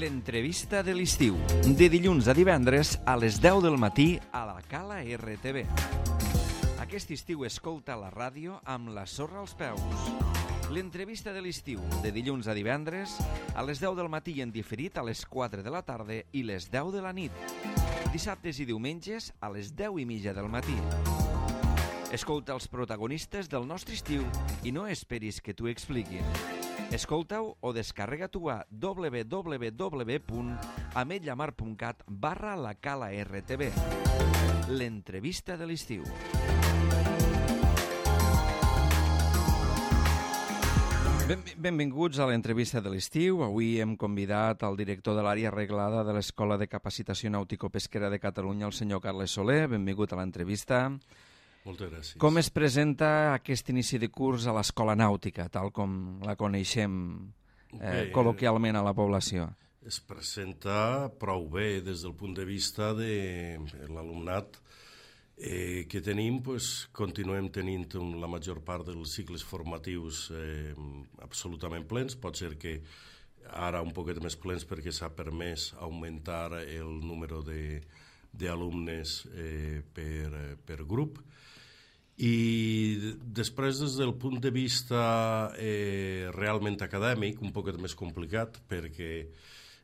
L'entrevista de l'estiu, de dilluns a divendres a les 10 del matí a la Cala RTV. Aquest estiu escolta la ràdio amb la sorra als peus. L'entrevista de l'estiu, de dilluns a divendres a les 10 del matí i en diferit a les 4 de la tarda i les 10 de la nit. Dissabtes i diumenges a les 10:30 del matí. Escolta els protagonistes del nostre estiu i no esperis que t'ho expliquin. Escolta-ho o descarrega-t'ho a www.ametlllamar.cat/la Cala RTV. L'entrevista de l'estiu. Benvinguts a l'entrevista de l'estiu. Avui hem convidat al director de l'àrea reglada de l'Escola de Capacitació Nàutico-Pesquera de Catalunya, el senyor Carles Soler. Benvingut a l'entrevista. Moltes gràcies. Com es presenta aquest inici de curs a l'Escola Nàutica, tal com la coneixem col·loquialment a la població? Es presenta prou bé des del punt de vista de l'alumnat que tenim. Continuem tenint la major part dels cicles formatius absolutament plens. Pot ser que ara un poquet més plens perquè s'ha permès augmentar el número d'alumnes per grup. I després, des del punt de vista realment acadèmic, un poquet més complicat, perquè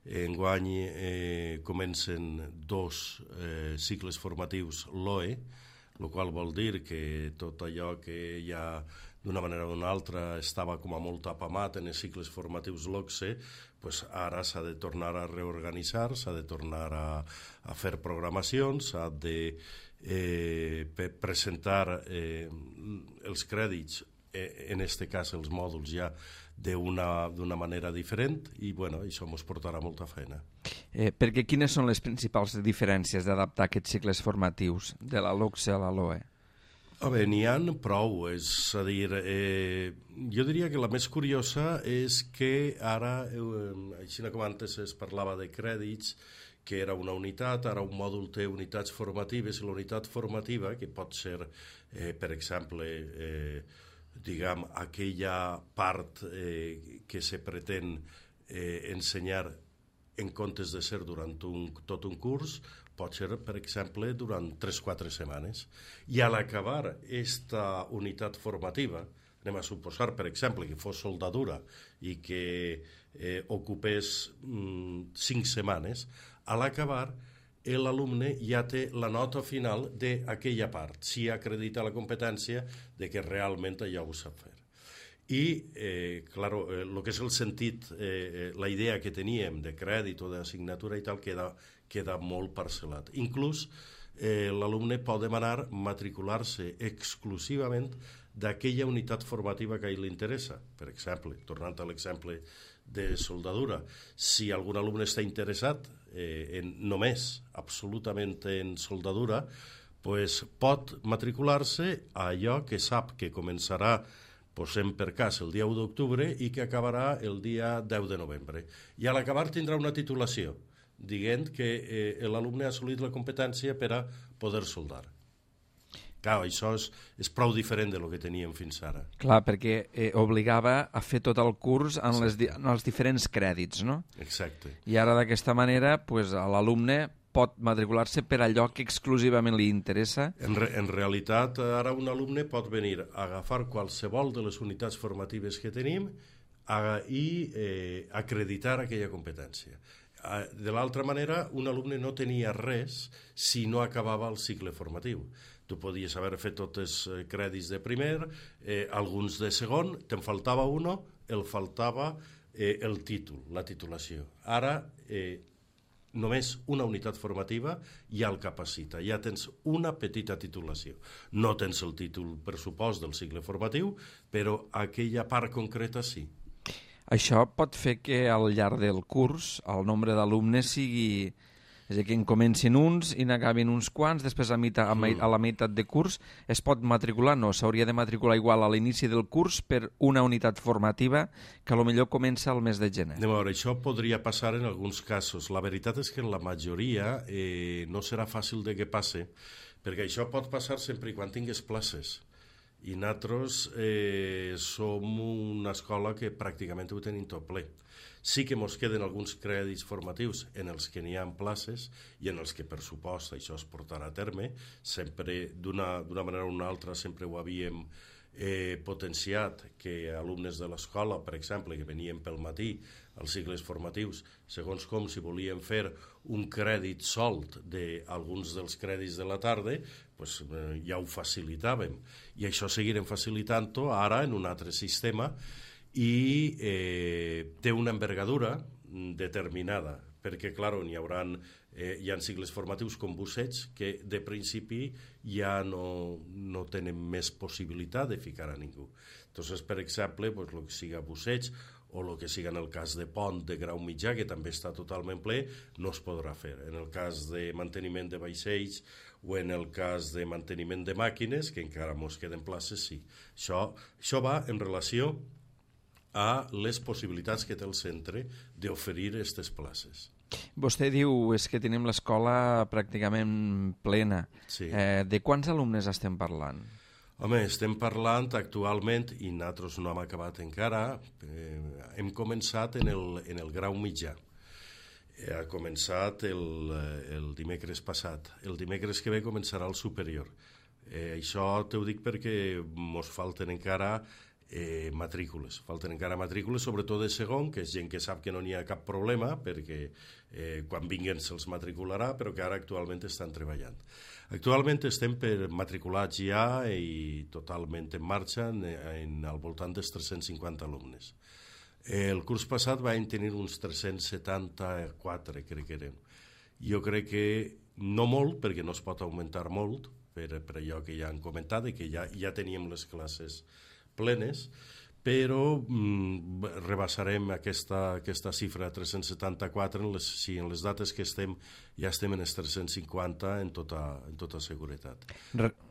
enguany comencen dos cicles formatius LOE, el qual vol dir que tot allò que ja d'una manera o d'una altra estava com a molt apamat en els cicles formatius LOCSE, ara s'ha de tornar a reorganitzar, s'ha de tornar a fer programacions, s'ha de presentar els crèdits, en aquest cas els mòduls ja d'una manera diferent, i això ens portarà molta feina. Perquè quines són les principals diferències d'adaptar aquests cicles formatius de la LOCSE a la LOE? N'hi ha prou, és a dir, jo diria que la més curiosa és que ara, així com antes es parlava de crèdits, que era una unitat, ara un mòdul té unitats formatives, i la unitat formativa, que pot ser, per exemple, aquella part que se pretén ensenyar en comptes de ser durant tot un curs, pot ser, per exemple, durant 3-4 setmanes. I a l'acabar aquesta unitat formativa, anem a suposar, per exemple, que fos soldadura i que ocupés 5 setmanes, a l'acabar l'alumne ja té la nota final d'aquella part, si acredita la competència de que realment allò ho sap fer. I, clar, el que és el sentit, la idea que teníem de crèdit o d'assignatura i tal, queda molt parcel·lat. Inclús l'alumne pot demanar matricular-se exclusivament d'aquella unitat formativa que a ell li interessa. Per exemple, tornant a l'exemple de soldadura, si algun alumne està interessat només, absolutament en soldadura, pot matricular-se a allò que sap que començarà, posem per cas, el dia 1 d'octubre i que acabarà el dia 10 de novembre. I a l'acabar tindrà una titulació, dient que l'alumne ha assolit la competència per a poder soldar. Clar, això és prou diferent del que teníem fins ara. Clar, perquè obligava a fer tot el curs en els diferents crèdits, no? Exacte. I ara d'aquesta manera l'alumne pot matricular-se per allò que exclusivament li interessa. En realitat, ara un alumne pot venir a agafar qualsevol de les unitats formatives que tenim i acreditar aquella competència. De l'altra manera, un alumne no tenia res si no acabava el cicle formatiu. Tu podies haver fet tots els crèdits de primer, alguns de segon, te'n faltava un, el faltava el títol, la titulació. Ara, només una unitat formativa ja el capacita, ja tens una petita titulació. No tens el títol, per supost, del cicle formatiu, però aquella part concreta sí. Això pot fer que al llarg del curs el nombre d'alumnes sigui... És a dir, que en comencin uns i n'acabin uns quants, després a la meitat de curs es pot matricular, no, s'hauria de matricular igual a l'inici del curs per una unitat formativa que potser comença al mes de gener. Anem a veure, això podria passar en alguns casos. La veritat és que en la majoria no serà fàcil de que passe, perquè això pot passar sempre i quan tingues places. I nosaltres som una escola que pràcticament ho tenim tot ple. Sí que ens queden alguns crèdits formatius en els que n'hi ha places i en els que, per supost, això es portarà a terme. Sempre, d'una manera o una altra, sempre ho havíem potenciat, que alumnes de l'escola, per exemple, que venien pel matí als cicles formatius, segons com si volien fer un crèdit solt d'alguns dels crèdits de la tarda, doncs, ja ho facilitàvem. I això seguirem facilitant-ho ara en un altre sistema i té una envergadura determinada, perquè, clar, hi ha cicles formatius com Busseig que de principi ja no tenen més possibilitat de ficar a ningú. Entonces, per exemple, el que siga Busseig o el que siga en el cas de Pont de grau mitjà, que també està totalment ple, no es podrà fer. En el cas de manteniment de vaixells o en el cas de manteniment de màquines, que encara ens queden places, sí. Això va en relació a les possibilitats que té el centre d'oferir aquestes places. Vostè diu que tenim l'escola pràcticament plena. Sí. De quants alumnes estem parlant? Home, estem parlant actualment, i nosaltres no hem acabat encara, hem començat en el grau mitjà. Ha començat el dimecres passat. El dimecres que ve començarà el superior. Això t'ho dic perquè ens falten encara matrícules. Falten encara matrícules, sobretot de segon, que és gent que sap que no n'hi ha cap problema, perquè quan vinguin se'ls matricularà, però que ara actualment estan treballant. Actualment estem per matriculats ja i totalment en marxa al voltant dels 350 alumnes. El curs passat vam tenir uns 374, crec que eren. Jo crec que no molt, perquè no es pot augmentar molt, per allò que ja han comentat, que ja teníem les classes plenes, però rebassarem aquesta xifra de 374 en les dates que ja estem en els 350 en tota seguretat.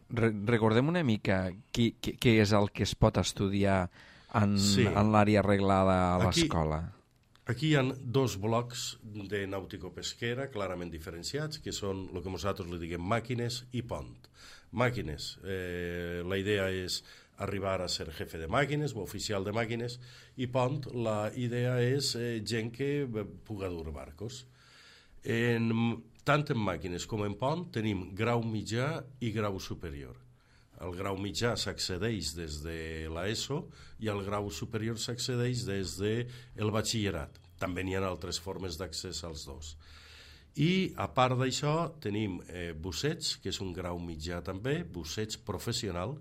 Recordem una mica què és el que es pot estudiar en l'àrea arreglada a l'escola. Aquí hi ha dos blocs de nàutico-pesquera clarament diferenciats, que són el que nosaltres li diguem màquines i pont. Màquines, la idea és arribar a ser jefe de màquines o oficial de màquines, i pont, la idea és gent que puga dur barcos. Tant en màquines com en pont tenim grau mitjà i grau superior. El grau mitjà s'accedeix des de l'ESO i el grau superior s'accedeix des del batxillerat. També n'hi ha altres formes d'accés als dos. I a part d'això tenim Busseig, que és un grau mitjà també, Busseig professional,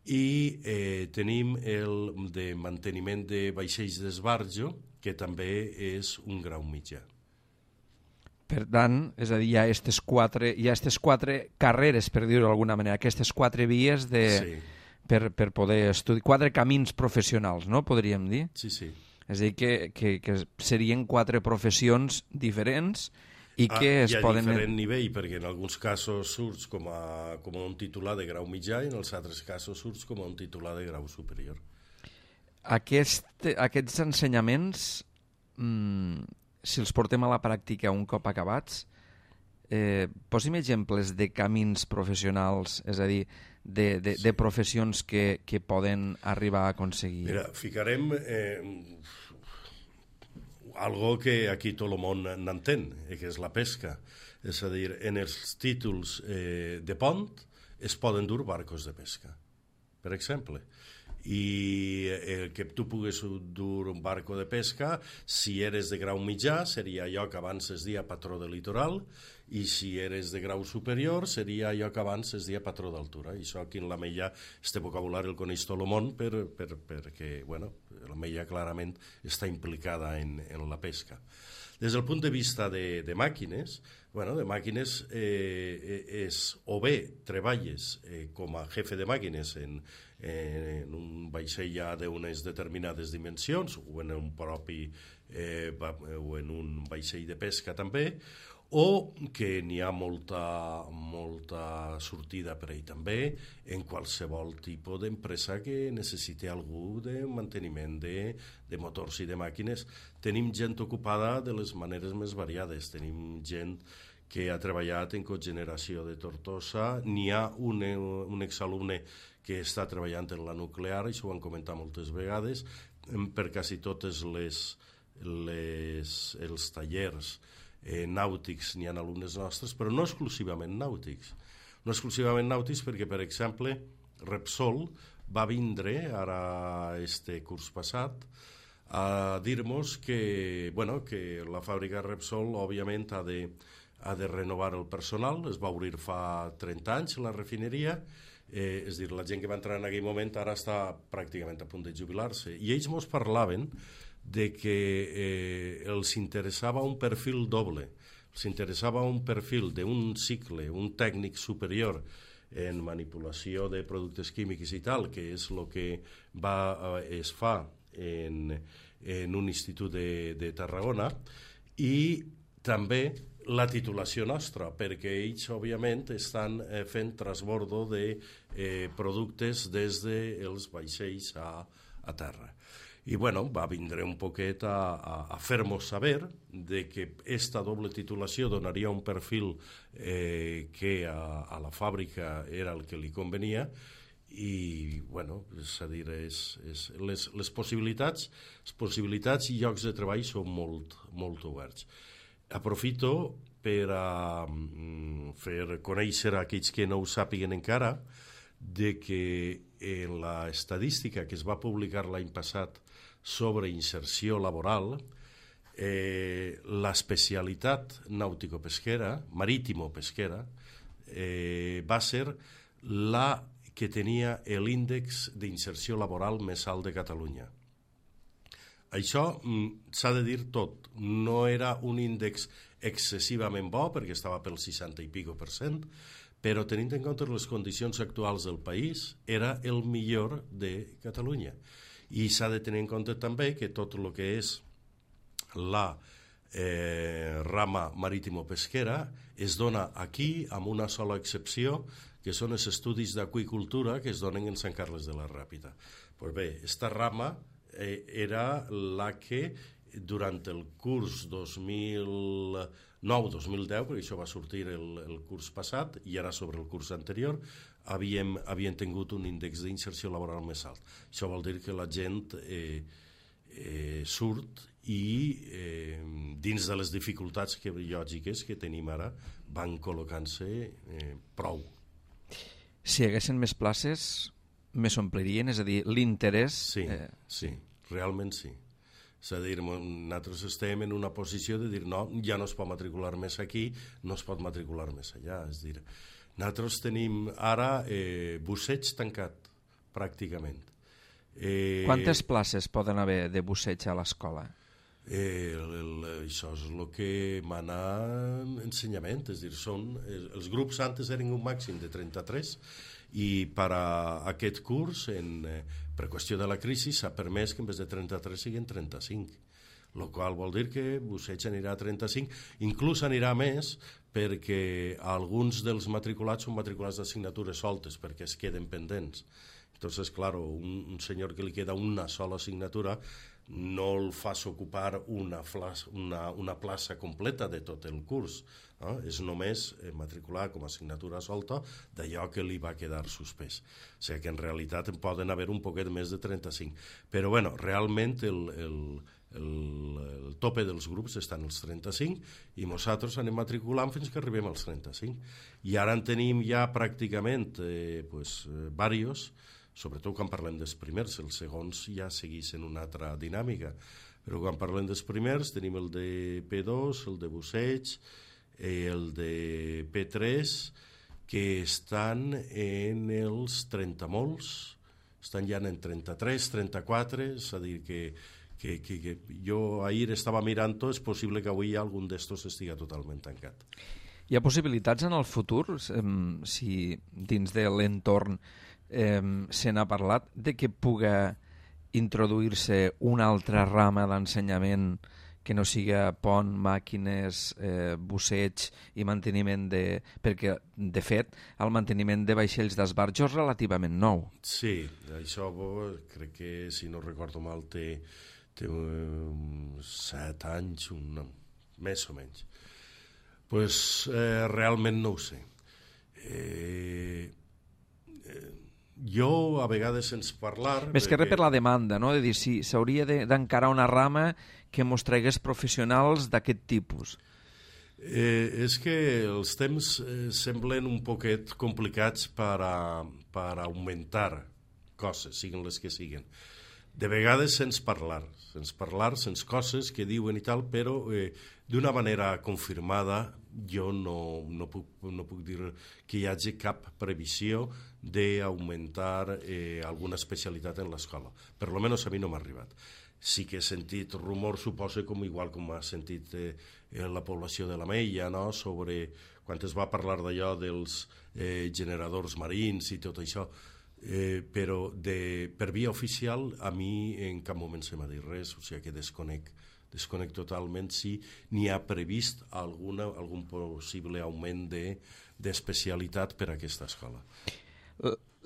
i tenim el de manteniment de vaixells d'esbarjo, que també és un grau mitjà. Per tant, és a dir, hi ha aquestes quatre carreres, per dir-ho d'alguna manera, aquestes quatre vies per poder estudiar, quatre camins professionals, no? Podríem dir? Sí, sí. És a dir, que serien quatre professions diferents i que es poden... Hi ha diferent nivell, perquè en alguns casos surts com a un titular de grau mitjà i en els altres casos surts com a un titular de grau superior. Aquests ensenyaments, si els portem a la pràctica un cop acabats, posi'm exemples de camins professionals, és a dir, de professions que poden arribar a aconseguir. Mira, ficarem algo que aquí tot el món n'entén, que és la pesca. És a dir, en els títols de pont es poden dur barcos de pesca, per exemple. I que tu pugues dur un barco de pesca, si eres de grau mitjà, seria allò que abans es deia patró de litoral, i si eres de grau superior, seria allò que abans es deia patró d'altura. I això aquí en l'Ametlla, este vocabulari el coneix tot el món perquè l'Ametlla clarament està implicada en la pesca. Des del punt de vista de màquines, és o bé treballes com a jefe de màquines en un vaixell ja d'unes determinades dimensions o en un vaixell de pesca també, o que n'hi ha molta sortida per ahí també en qualsevol tipus d'empresa que necessiti algú de manteniment de motors i de màquines. Tenim gent ocupada de les maneres més variades. Tenim gent que ha treballat en cogeneració de Tortosa. N'hi ha un exalumne que està treballant en la nuclear, això ho han comentat moltes vegades, per quasi totes els tallers nàutics n'hi ha alumnes nostres, però no exclusivament nàutics. No exclusivament nàutics perquè, per exemple, Repsol va vindre ara este curs passat a dir-nos que la fàbrica Repsol òbviament ha de renovar el personal. Es va obrir fa 30 anys la refineria, és a dir, la gent que va entrar en aquell moment ara està pràcticament a punt de jubilar-se, i ells ens parlaven de que els interessava un perfil doble, els interessava un perfil d'un cicle, un tècnic superior en manipulació de productes químics i tal, que és el que es fa en un institut de Tarragona, i també la titulació nostra, perquè ells, òbviament, estan fent transbordo de productes des dels vaixells a terra. I va vindre un poquet a fer-nos saber de que esta doble titulació donaria un perfil que a la fàbrica era el que li convenia, i és a dir, les possibilitats i llocs de treball són molt oberts. Aprofito per fer conèixer a aquells que no ho sàpiguen encara de que en l'estadística que es va publicar l'any passat sobre inserció laboral, l'especialitat nàutico-pesquera, marítimo-pesquera, va ser la que tenia l'índex d'inserció laboral més alt de Catalunya. Això s'ha de dir tot. No era un índex excessivament bo, perquè estava pel 60 i pico %, però tenint en compte les condicions actuals del país, era el millor de Catalunya. I s'ha de tenir en compte també que tot el que és la rama marítimo-pesquera es dona aquí amb una sola excepció, que són els estudis d'aquicultura que es donen en Sant Carles de la Ràpita. Pues bé, esta rama era la que durant el curs 2009-2010, perquè això va sortir el curs passat i ara sobre el curs anterior, havien tingut un índex d'inserció laboral més alt. Això vol dir que la gent surt i dins de les dificultats lògiques que tenim ara van col·locant-se prou. Si hi haguessin més places, més omplirien? És a dir, l'interès... Sí, realment sí. És a dir, nosaltres estem en una posició de dir no, ja no es pot matricular més aquí, no es pot matricular més allà. És a dir, nosaltres tenim ara busseig tancat, pràcticament. Quantes places poden haver de busseig a l'escola? Això és el que mana ensenyament, és a dir, els grups antes eren un màxim de 33 i per a aquest curs, per qüestió de la crisi, s'ha permès que en vez de 33 siguin 35, el qual vol dir que busseig anirà a 35, inclús anirà més perquè alguns dels matriculats són matriculats d'assignatures soltes perquè es queden pendents. Entonces, claro, un senyor que li queda una sola assignatura no el fas ocupar una plaça completa de tot el curs. És només matricular com a assignatura solta d'allò que li va quedar suspès. O sigui que en realitat en poden haver un poquet més de 35. Però bueno, realment el tope dels grups estan als 35 i nosaltres anem matriculant fins que arribem als 35. I ara en tenim ja pràcticament diversos, sobretot quan parlem dels primers. Els segons ja segueixen una altra dinàmica, però quan parlem dels primers tenim el de P2, el de busseig, el de P3, que estan en els 30 molts, estan ja en 33, 34, és a dir que jo ahir estava mirant-ho, és possible que avui algun d'estos estigui totalment tancat. Hi ha possibilitats en el futur, si dins de l'entorn se n'ha parlat, de que puga introduir-se una altra rama d'ensenyament que no siga pont, màquines, busseig i manteniment perquè, de fet, el manteniment de vaixells d'esbarjo és relativament nou. Sí, això crec que, si no recordo mal, té 7 anys, més o menys. Pues realment no ho sé. Jo, a vegades, sense parlar... Més que res per la demanda, no? De dir, si s'hauria d'encarar una rama que mos tragués professionals d'aquest tipus. És que els temps semblen un poquet complicats per augmentar coses, siguin les que siguin. De vegades sense parlar, sense coses que diuen i tal, però d'una manera confirmada jo no puc dir que hi hagi cap previsió d'augmentar alguna especialitat en l'escola. Per lo menos a mi no m'ha arribat. Sí que he sentit rumors, suposo, igual com ha sentit la població de la Meia, no? Sobre quan es va parlar d'allò dels generadors marins i tot això, però per via oficial a mi en cap moment se m'ha dit res, o sigui que desconec totalment si n'hi ha previst algun possible augment d'especialitat per a aquesta escola.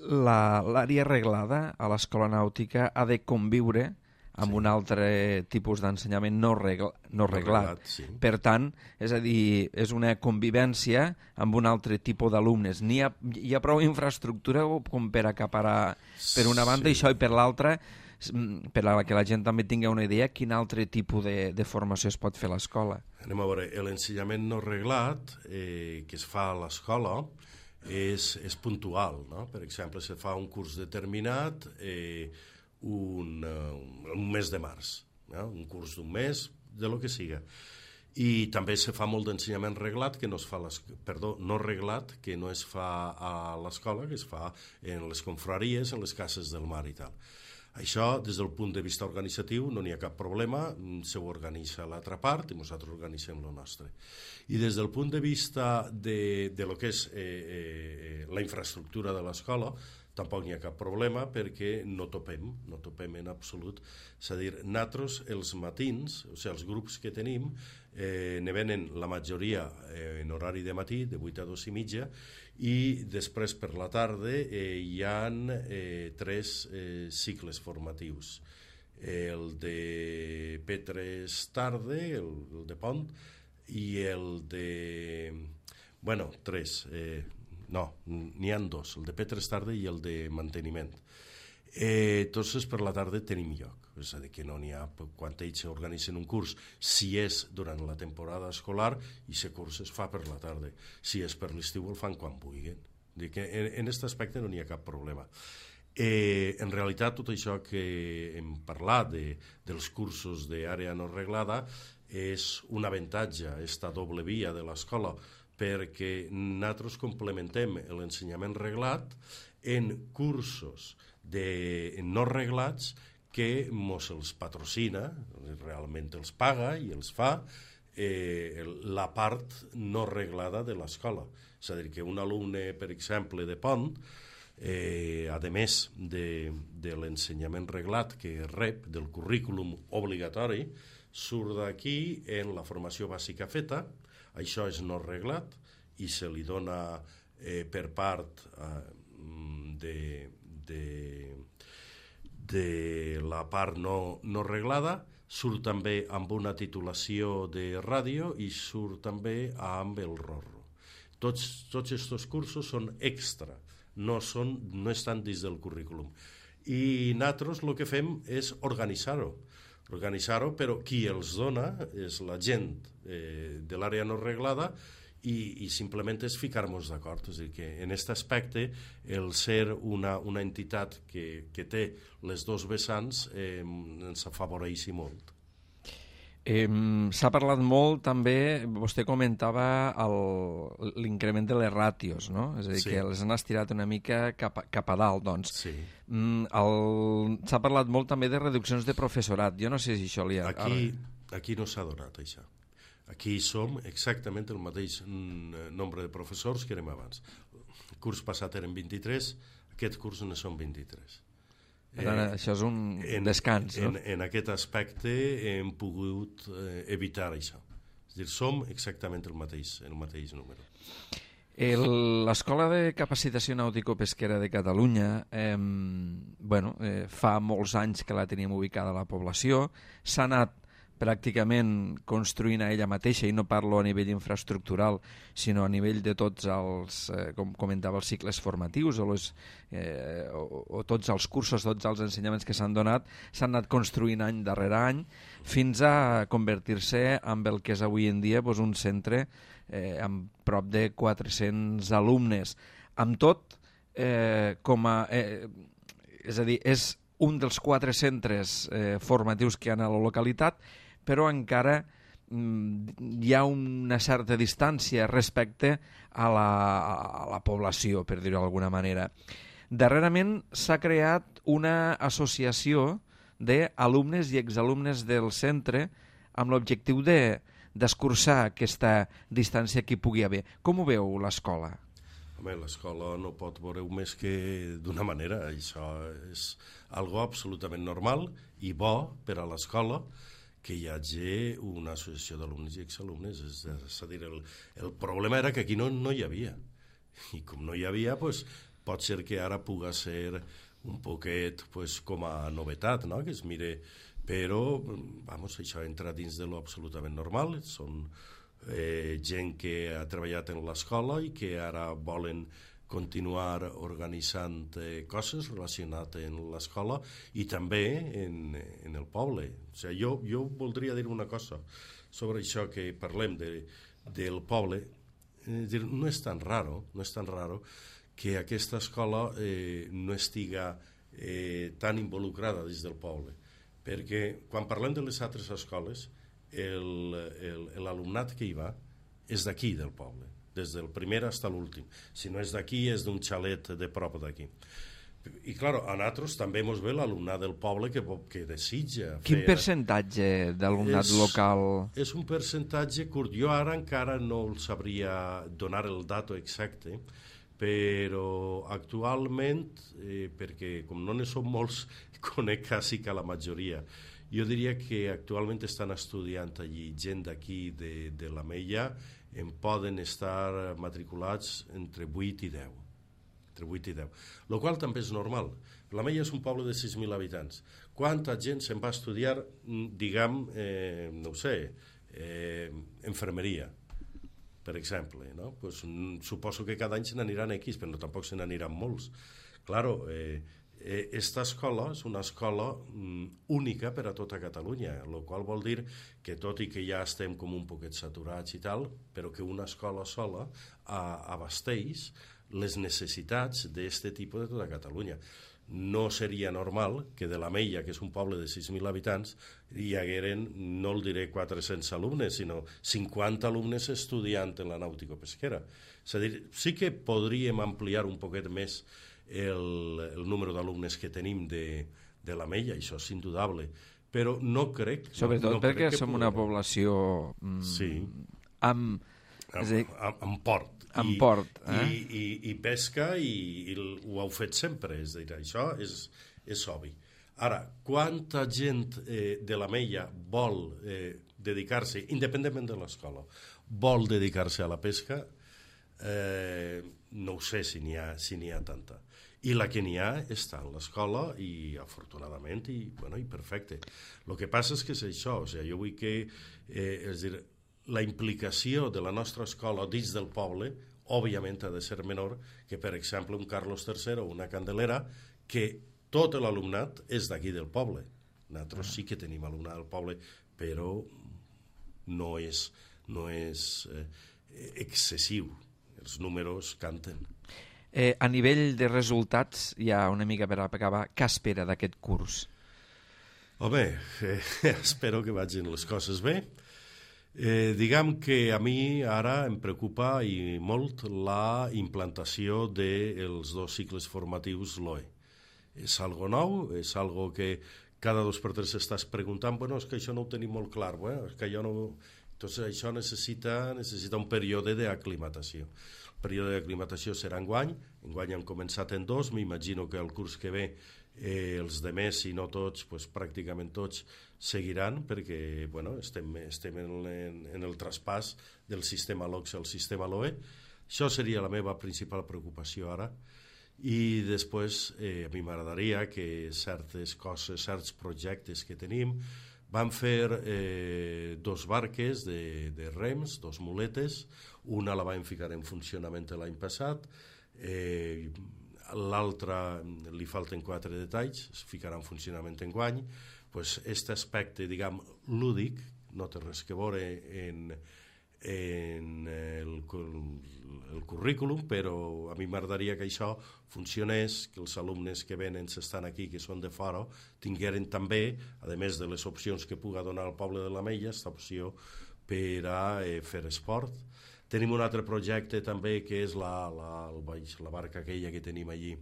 L'àrea reglada a l'escola nàutica ha de conviure amb un altre tipus d'ensenyament no reglat. Sí. Per tant, és a dir, és una convivència amb un altre tipus d'alumnes. Hi ha prou infraestructura com per acaparar per una banda i això, i per l'altra, per a que la gent també tingui una idea, quin altre tipus de formació es pot fer a l'escola. Anem a veure, l'ensenyament no reglat que es fa a l'escola és puntual, no? Per exemple, se fa un curs determinat un mes de març, no? Un curs d'un mes, de lo que siga. I també se fa molt d'ensenyament reglat que no es fa no reglat, que no es fa a l'escola, que es fa en les confraries, en les cases del mar i tal. Això, des del punt de vista organitzatiu, no n'hi ha cap problema, se ho organitza l'altra part i nosaltres organitzem el nostre. I des del punt de vista de lo que és la infraestructura de l'escola, tampoc n'hi ha cap problema perquè no topem en absolut. És a dir, nosaltres els matins, o sigui, els grups que tenim, ne venen la majoria en horari de matí, de 8 a 2 i mitja, i després per la tarda hi ha 3 cicles formatius. El de P3 tarda, el de Pont, i el de... Bueno, 3... No, n'hi ha 2, el de P3 tarda i el de manteniment. Entonces, per la tarda tenim lloc. És a dir, que no n'hi ha, quan ells organitzen un curs, si és durant la temporada escolar, i aquest curs es fa per la tarda. Si és per l'estiu, el fan quan vulguin. En aquest aspecte no n'hi ha cap problema. En realitat, tot això que hem parlat dels cursos d'àrea no reglada és un avantatge, aquesta doble via de l'escola, perquè nosaltres complementem l'ensenyament reglat en cursos no reglats que mos els patrocina, realment els paga i els fa la part no reglada de l'escola. És a dir, que un alumne, per exemple, de Pont, a més de l'ensenyament reglat que rep del currículum obligatori, surt d'aquí en la formació bàsica feta. Això és no reglat i se li dona per part de la part no reglada, surt també amb una titulació de ràdio i surt també amb el RORRO. Tots aquests cursos són extra, no estan dins del currículum. I nosaltres el que fem és organitzar-ho, però qui els dona és la gent de l'àrea no reglada i simplement és ficar-nos d'acord. És a dir, que en aquest aspecte el ser una entitat que té les dos vessants ens afavoreix molt. S'ha parlat molt també, vostè comentava l'increment de les ràtios, no? És a dir, que les han estirat una mica cap a dalt, doncs. Sí. S'ha parlat molt també de reduccions de professorat. Jo no sé si això li ha... Aquí no s'ha donat, això. Aquí som exactament el mateix nombre de professors que érem abans. El curs passat eren 23, aquest curs ne són 23. Això és un descans, no? En aquest aspecte hem pogut evitar això. És a dir, som exactament el mateix número. L'Escola de Capacitació Nàutico-Pesquera de Catalunya fa molts anys que la tenim ubicada a la població, s'ha anat pràcticament construint a ella mateixa, i no parlo a nivell infraestructural, sinó a nivell de tots els, com comentava, els cicles formatius o tots els cursos, tots els ensenyaments que s'han donat, s'han anat construint any darrere any fins a convertir-se en el que és avui en dia un centre amb prop de 400 alumnes. Amb tot, és a dir, és un dels 4 centres formatius que hi ha a la localitat, però encara hi ha una certa distància respecte a la població, per dir-ho d'alguna manera. Darrerament s'ha creat una associació d'alumnes i exalumnes del centre amb l'objectiu d'escurçar aquesta distància que hi pugui haver. Com ho veu l'escola? Home, l'escola no pot veure-ho més que d'una manera. Això és algo absolutament normal i bo per a l'escola que hi hagi una associació d'alumnes i exalumnes. És a dir, el problema era que aquí no hi havia. I com no hi havia, pues, pot ser que ara puga ser un poquet pues, com a novetat, no? Que es mire, però vamos, això entra dins de lo absolutament normal. Són gent que ha treballat en l'escola i que ara volen continuar organitzant coses relacionades amb l'escola i també en el poble. O sigui, jo voldria dir una cosa sobre això que parlem del poble. No és tan raro que aquesta escola no estiga tan involucrada dins del poble, perquè quan parlem de les altres escoles l'alumnat que hi va és d'aquí del poble, des del primer fins a l'últim. Si no és d'aquí, és d'un xalet de prop d'aquí. I, clar, a nosaltres també ens ve l'alumnat del poble que desitja fer... Quin percentatge d'alumnat local? És un percentatge curt. Jo ara encara no el sabria donar el dato exacte, però actualment, perquè com no ne som molts, conec quasi que la majoria. Jo diria que actualment estan estudiant allí gent d'aquí de l'Ametlla, en poden estar matriculats entre 8 i 10. Entre 8 i 10. El qual també és normal. L'Ametlla és un poble de 6.000 habitants. Quanta gent se'n va estudiar, diguem, no ho sé, infermeria, per exemple, no? Pues, suposo que cada any se n'aniran X, però tampoc se n'aniran molts. Claro, esta escola és una escola única per a tota Catalunya, el qual vol dir que tot i que ja estem com un poquet saturats i tal, però que una escola sola abasteix les necessitats d'aquest tipus de tota Catalunya. No seria normal que de l'Ametlla, que és un poble de 6.000 habitants, hi hagueren, no el diré 400 alumnes, sinó 50 alumnes estudiant en la nàutico-pesquera. És a dir, sí que podríem ampliar un poquet més el número d'alumnes que tenim de l'Ametlla, això és indudable, però no crec... Sobretot perquè som una població amb port. Amb port. I pesca i ho heu fet sempre, és a dir, això és obvi. Ara, quanta gent de l'Ametlla vol dedicar-se, independentment de l'escola, vol dedicar-se a la pesca, no ho sé si n'hi ha tanta. I la que n'hi ha està en l'escola i afortunadament i perfecte. El que passa és que és això, o sigui, jo vull que és dir, la implicació de la nostra escola dins del poble òbviament ha de ser menor que, per exemple, un Carlos III o una Candelera, que tot l'alumnat és d'aquí del poble. Nosaltres sí que tenim alumnat del poble, però no és excessiu. Els números canten. A nivell de resultats, ja una mica per acabar, què espera d'aquest curs? Home, espero que vagin les coses bé. Diguem que a mi ara em preocupa i molt la implantació dels 2 cicles formatius LOE. És algo nou, és algo que cada 2 per 3 s'estàs preguntant, és que això no ho tenim molt clar, és que jo no... Entonces això necessita un període d'aclimatació. El període d'aclimatació serà enguany hem començat en 2, m'imagino que el curs que ve els demés, si no tots, pràcticament tots seguiran, perquè estem en el traspàs del sistema LOCS al sistema LOE. Això seria la meva principal preocupació ara. I després a mi m'agradaria que certes coses, certs projectes que tenim, Vam fer 2 barques de rems, 2 muletes, una la vam ficar en funcionament l'any passat, l'altra li falten 4 detalls, es ficarà en funcionament enguany. Pues aquest aspecte, diguem, lúdic, no té res que veure en el currículum, però a mi m'agradaria que això funcionés, que els alumnes que venen, s'estan aquí, que són de fora, tingueren també, a més de les opcions que puga donar al poble de l'Ametlla, aquesta opció per a fer esport. Tenim un altre projecte també, que és la barca aquella que tenim allí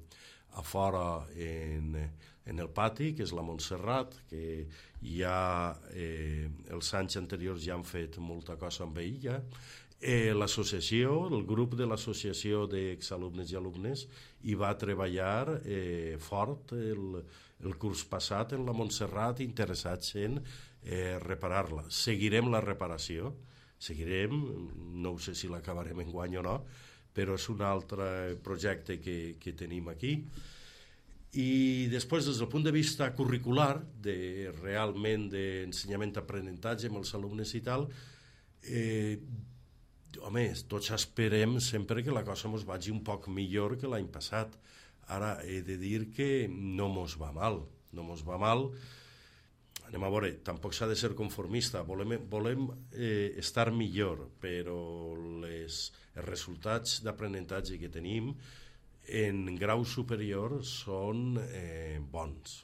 a fora en el pati, que és la Montserrat, que ja els anys anteriors ja han fet molta cosa amb ella. L'associació, el grup de l'associació d'exalumnes i alumnes hi va treballar fort el curs passat en la Montserrat, interessats en reparar-la. Seguirem la reparació, no sé si l'acabarem enguany o no, però és un altre projecte que tenim aquí. I després, des del punt de vista curricular, realment d'ensenyament-aprenentatge amb els alumnes i tal, home, tots esperem sempre que la cosa ens vagi un poc millor que l'any passat. Ara, he de dir que no mos va mal, Anem a veure, tampoc s'ha de ser conformista, volem estar millor, però els resultats d'aprenentatge que tenim en grau superior són bons.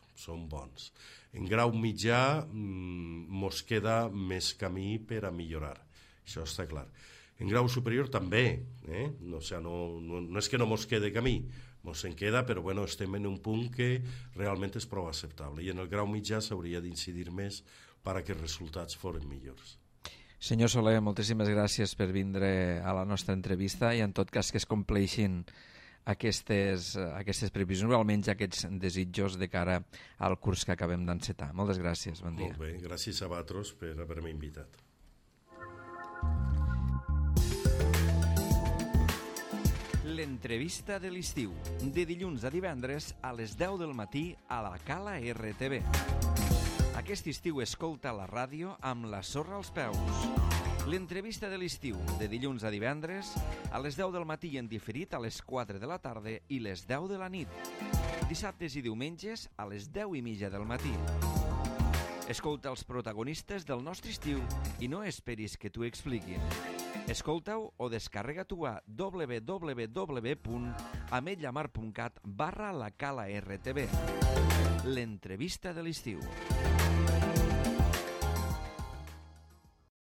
En grau mitjà mos queda més camí per a millorar, això està clar. En grau superior també, no és que no mos quede camí, mos en queda, però bueno, estem en un punt que realment és prou acceptable, i en el grau mitjà s'hauria d'incidir més perquè els resultats foren millors. Senyor Soler, moltíssimes gràcies per vindre a la nostra entrevista, i en tot cas que es compleixin aquestes previsions, o almenys aquests desitjos de cara al curs que acabem d'encetar. Moltes gràcies, bon dia. Molt bé, gràcies a vosaltres per haver-me invitat. L'entrevista de l'estiu, de dilluns a divendres a les 10 del matí a la Cala RTV. Aquest estiu escolta la ràdio amb la sorra als peus. L'entrevista de l'estiu, de dilluns a divendres a les 10 del matí i en diferit a les 4 de la tarda i les 10 de la nit. Dissabtes i diumenges a les 10:30 del matí. Escolta els protagonistes del nostre estiu i no esperis que t'ho expliquin. Escolta-ho o descarrega-t'ho a www.ametlamar.cat/la Cala RTV. L'entrevista de l'estiu.